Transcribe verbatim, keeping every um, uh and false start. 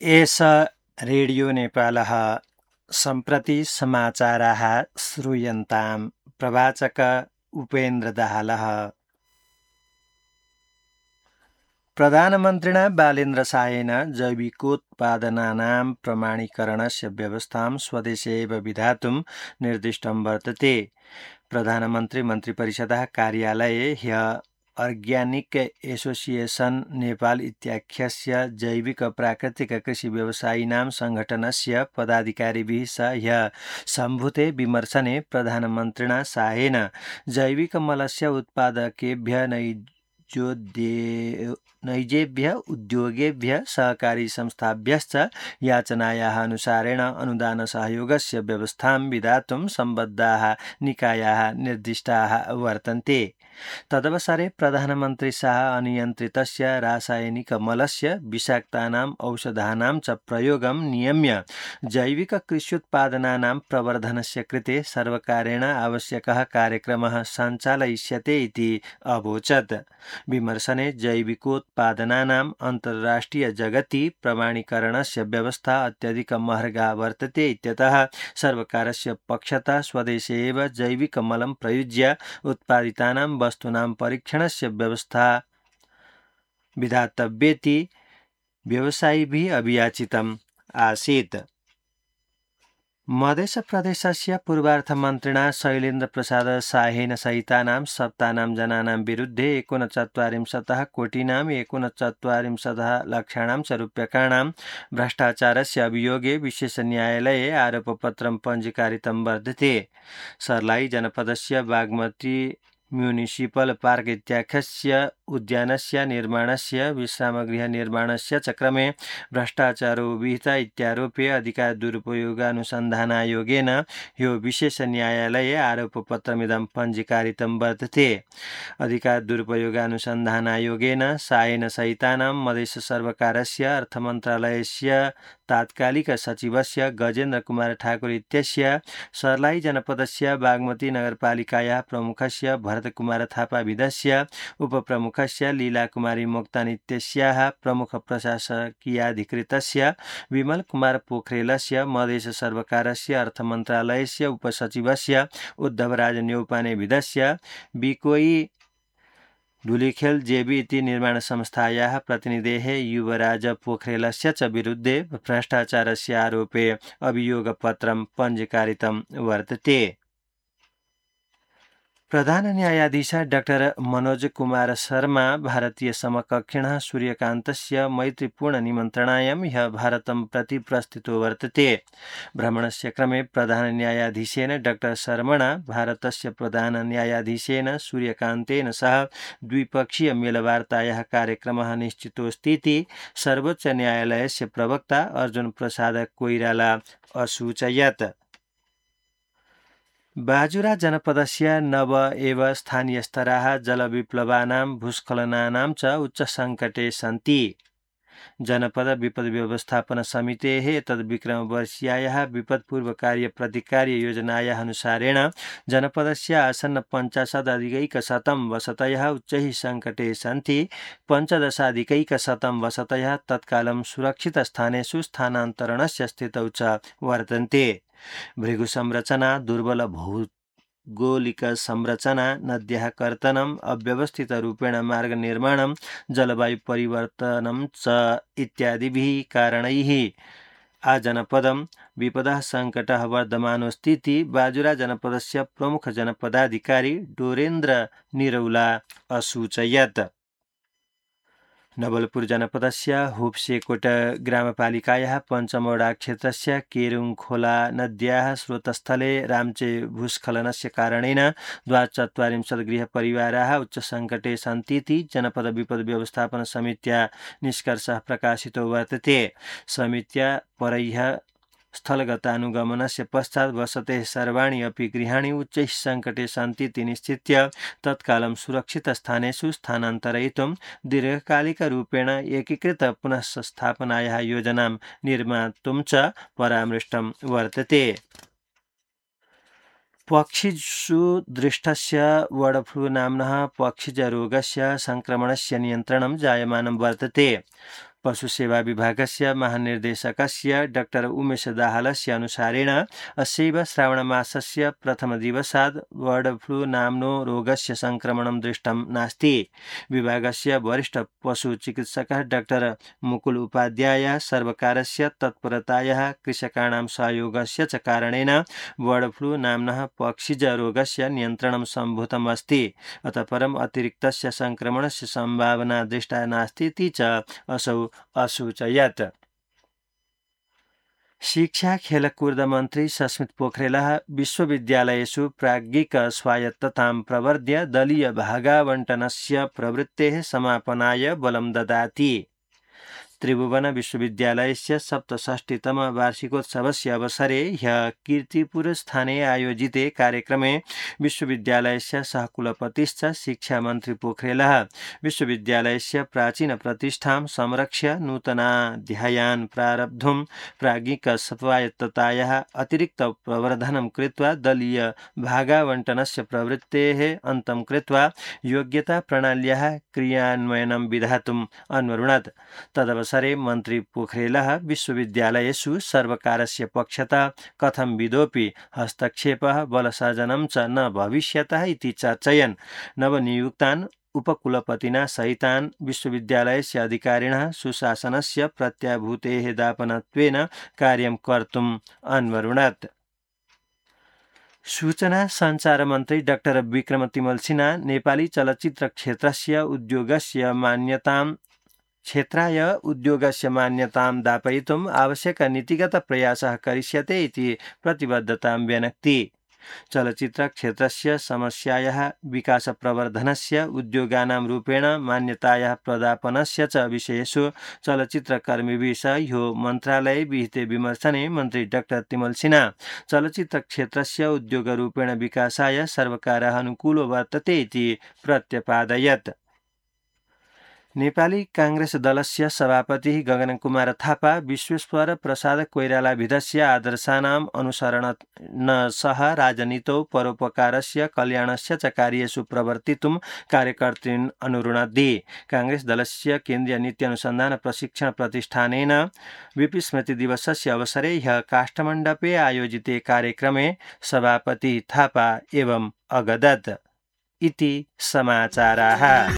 एष रेडियो नेपालः सम्प्रति समाचाराः श्रूयन्ताम्। प्रवाचक उपेन्द्र दाहालः। प्रधानमन्त्रिणा बालेन्द्र शाहेन जैविकोत्पादनानां प्रमाणीकरणस्य व्यवस्थां स्वदेशे एव विधातुं निर्दिष्टं वर्तते। प्रधानमन्त्री मन्त्रिपरिषदः कार्यालये ह्यः अर्ग्यानिक एसोसिएशन नेपाल इत्याख्यस्य जैविक प्राकृतिक कृषि व्यवसायिनां सङ्घटनस्य पदाधिकारिभिः सह ह्यः सम्भूते विमर्शने प्रधानमन्त्रिणा शाहेन जैविकमलस्य उत्पादकेभ्यः नैजेभ्यः उद्योगेभ्यः सहकारी संस्थाभ्यश्च याचनायाः अनुसारेण अनुदानसहयोगस्य व्यवस्थां विधातुं सम्बद्धाः निकायाः निर्दिष्टाः वर्तन्ते। तदवसरे प्रधानमन्त्री शाह अनियन्त्रितस्य रासायनिकमलस्य विषाक्तानाम् औषधानां च प्रयोगं नियम्य जैविककृष्युत्पादनानां प्रवर्धनस्य कृते सर्वकारेण आवश्यकः कार्यक्रमः सञ्चालयिष्यते इति अवोचत्। विमर्शने जैविकोत्पादनानाम् अन्ताराष्ट्रिय जगति प्रमाणीकरणस्य व्यवस्था अत्यधिक महर्गा वर्तते इत्यतः सर्वकारस्य पक्षतः स्वदेशे एव जैविकमलं प्रयुज्य उत्पादितानां वस्तूनां परीक्षणस्य व्यवस्था विधातव्येति व्यवसायिभिः अभियाचितम् आसीत्। मध्यप्रदेशस्य पूर्वार्थमन्त्रिणा शैलेन्द्र प्रसाद शाहेन सहितानां सप्तानां जनानां विरुद्धे एकोनचत्वारिंशतः कोटिनाम् एकोनचत्वारिंशतः लक्षाणां च रूप्यकाणां भ्रष्टाचारस्य अभियोगे विशेषन्यायालये आरोपपत्रं पञ्जीकारितं वर्तते। सर्लाई जनपदस्य बागमती म्युनिसिपल पार्क इत्याख्यस्य उद्यानस्य निर्माणस्य विश्रामगृह निर्माणस्य च क्रमे भ्रष्टाचारो विहितः इत्यारोपे अधिकार दुरुपयोगानुसन्धानायोगेन ह्यो विशेषन्यायालये आरोपपत्रमिदं पञ्जीकारितं वर्तते। अधिकार दुरुपयोगानुसन्धानायोगेन शाहेन सहितानां मधेश सर्वकारस्य अर्थमन्त्रालयस्य तात्कालिक सचिवस्य गजेन्द्र कुमार ठाकुर इत्यस्य सर्लाई जनपदस्य बागमती नगरपालिकायाः प्रमुखस्य भरतकुमार थापा विदस्य उपप्रमुखस्य लीलाकुमारी मोक्तान इत्यस्याः प्रमुख प्रशासकीयाधिकृतस्य विमल कुमार पोखरेलस्य मधेश सर्वकारस्य अर्थमन्त्रालयस्य उपसचिवस्य उद्धवराज न्यौपाने विदस्य बिकोई धुलिखेल जेबी इति निर्माण संस्थायाः प्रतिनिधेः युवराज पोखरेलस्य च विरुद्धे भ्रष्टाचारस्य आरोपे अभियोगपत्रं पञ्जीकारितं वर्तते। प्रधान न्यायाधीश डाक्टर मनोज कुमार शर्मा भारतीय समकक्षिणः सूर्यकान्तस्य मैत्रीपूर्ण निमन्त्रणायां ह्यः भारतं प्रति प्रस्थितो वर्तते। भ्रमणस्य क्रमे प्रधान न्यायाधीशेन डाक्टर शर्मणा भारतस्य प्रधान न्यायाधीशेन सूर्यकान्तेन सह द्विपक्षीय मेलवार्तायाः कार्यक्रमः निश्चितोऽस्ति इति सर्वोच्च न्यायालयस्य प्रवक्ता अर्जुन प्रसाद कोइराला असूचयत्। बाजुरा जनपदस्य नव एव स्थानीयस्तराः जलविप्लवानां भूस्खलनानां च उच्चसङ्कटे सन्ति। जनपद विपद व्यवस्थापन समितेः तद्विक्रमवर्षीयायाः विपत्पूर्वकार्यप्रतिकार्य योजनायाः अनुसारेण जनपदस्य आसन्न पञ्चाशदधिकैकशतं वसतयः उच्चैः सङ्कटे सन्ति। पञ्चदशाधिकैकशतं वसतयः तत्कालं सुरक्षितस्थानेषु स्थानान्तरणस्य स्थितौ च वर्तन्ते। भृगुसंरचना, दुर्बल भौगोलिक संरचना, नद्याः कर्तनम्, अव्यवस्थितरूपेण मार्गनिर्माणं, जलवायु परिवर्तनं च इत्यादिभिः कारणैः आजनपदं विपदः सङ्कटः वर्धमानोऽस्ति इति बाजुरा जनपदस्य प्रमुख जनपदाधिकारी डोरेन्द्र निरौला असूचयत्। नवलपुर जनपदस्य हुप्सेकोट ग्रामपालिकायाः पञ्चमवडा क्षेत्रस्य केरुङखोला नद्याः स्रोतस्थले राम्चे भूस्खलनस्य कारणेन द्वाचत्वारिंशत् गृहपरिवाराः उच्चसङ्कटे सन्ति इति जनपद विपद व्यवस्थापन समित्या निष्कर्षः प्रकाशितो वर्तते। समित्या परैः स्थलगतानुगमनस्य पश्चात् वसतेः सर्वाणि अपि गृहाणि उच्चैः सङ्कटे सन्ति इति निश्चित्य तत्कालं सुरक्षितस्थानेषु स्थानान्तरयितुं दीर्घकालिकरूपेण एकीकृत पुनः स्थापनायाः योजनां निर्मातुं च परामृष्टं वर्तते। पक्षिषु दृष्टस्य बर्ड फ्लू नाम्नः पक्षिजरोगस्य सङ्क्रमणस्य नियन्त्रणं जायमानं वर्तते। पशुसेवा विभागस्य महानिर्देशकस्य डाक्टर उमेश दाहालस्य अनुसारेण अस्यैव श्रावणमासस्य प्रथमदिवसात् बर्ड फ्लू नाम्नो रोगस्य संक्रमणं दृष्टं नास्ति। विभागस्य वरिष्ठ पशुचिकित्सकः डाक्टर मुकुल उपाध्याय सर्वकारस्य तत्परतायाः कृषकाणां सहयोगस्य च कारणेन बर्ड फ्लू नाम्नः पक्षिज रोगस्य नियन्त्रणं सम्भूतम् अस्ति। अतः परम् अतिरिक्तस्य संक्रमणस्य सम्भावना दृष्टा नास्ति इति च असौ असूचयत्। शिक्षा खेलकूद मन्त्री सस्मित पोखरेलः विश्वविद्यालयेषु प्राज्ञिक स्वायत्ततां प्रवर्ध्य दलीय भागावण्टनस्य प्रवृत्तेः समापनाय बलं ददाति। त्रिभुवन विश्वविद्यालयस्य सप्तषष्टितम वार्षिकोत्सवस्य अवसरे ह्यः कीर्तिपुरस्थाने आयोजिते कार्यक्रमे विश्वविद्यालयस्य सहकुलपतिश्च शिक्षामन्त्री पोखरेलः विश्वविद्यालयस्य प्राचीनप्रतिष्ठां संरक्ष्य नूतनाध्यायान् प्रारब्धुं प्राज्ञिक स्वायत्ततायाः अतिरिक्त प्रवर्धनं कृत्वा दलीय भागावण्टनस्य प्रवृत्तेः अन्तं कृत्वा योग्यता प्रणाल्याः क्रियान्वयनं विधातुम् अन्वरुणत्। तदवसरे मन्त्री पोखरेलः विश्वविद्यालयेषु सर्वकारस्य पक्षतः कथं विधोऽपि हस्तक्षेपः बलसाधनं च न भविष्यतः इति चर्चयन् नवनियुक्तान् उपकुलपतिना सहितान् विश्वविद्यालयस्य अधिकारिणः सुशासनस्य प्रत्याभूतेः दापनत्वेन कार्यं कर्तुम् अन्वरुणत्। सूचना सञ्चार मन्त्री डाक्टर विक्रम तिमल सिन्हा नेपाली चलचित्र क्षेत्रस्य उद्योगस्य मान्यतां क्षेत्राय उद्योगस्य मान्यतां दापयितुम् आवश्यक नीतिगत प्रयासः करिष्यते इति प्रतिबद्धतां व्यनक्ति। चलचित्र क्षेत्रस्य समस्यायाः विकासप्रवर्धनस्य उद्योगानां रूपेण मान्यतायाः प्रदापनस्य च विषयेषु चलचित्रकर्मीभिः सह ह्यो मन्त्रालये विहिते विमर्शने मन्त्री डाक्टर तिमल सिन्हा चलचित्र क्षेत्रस्य उद्योगरूपेण विकासाय सर्वकारः अनुकूलो वर्तते इति प्रत्यपादयत्। नेपाली कांग्रेस दलस्य सभापति गगनकुमार थापा विश्वेश्वर प्रसाद कोइरालाभिधस्य आदर्शानाम् अनुसरणेन सह राजनीतौ परोपकारस्य कल्याणस्य च कार्येषु प्रवर्तितुं कार्यकर्तॄन् अनुरुणद्धि। कांग्रेस दलस्य केन्द्रीय नीति अनुसन्धान प्रशिक्षण प्रतिष्ठानेन विपि दिवसस्य अवसरे ह्यः काष्ठमण्डपे आयोजिते कार्यक्रमे सभापति थापा एवं अगदत् इति समाचाराः।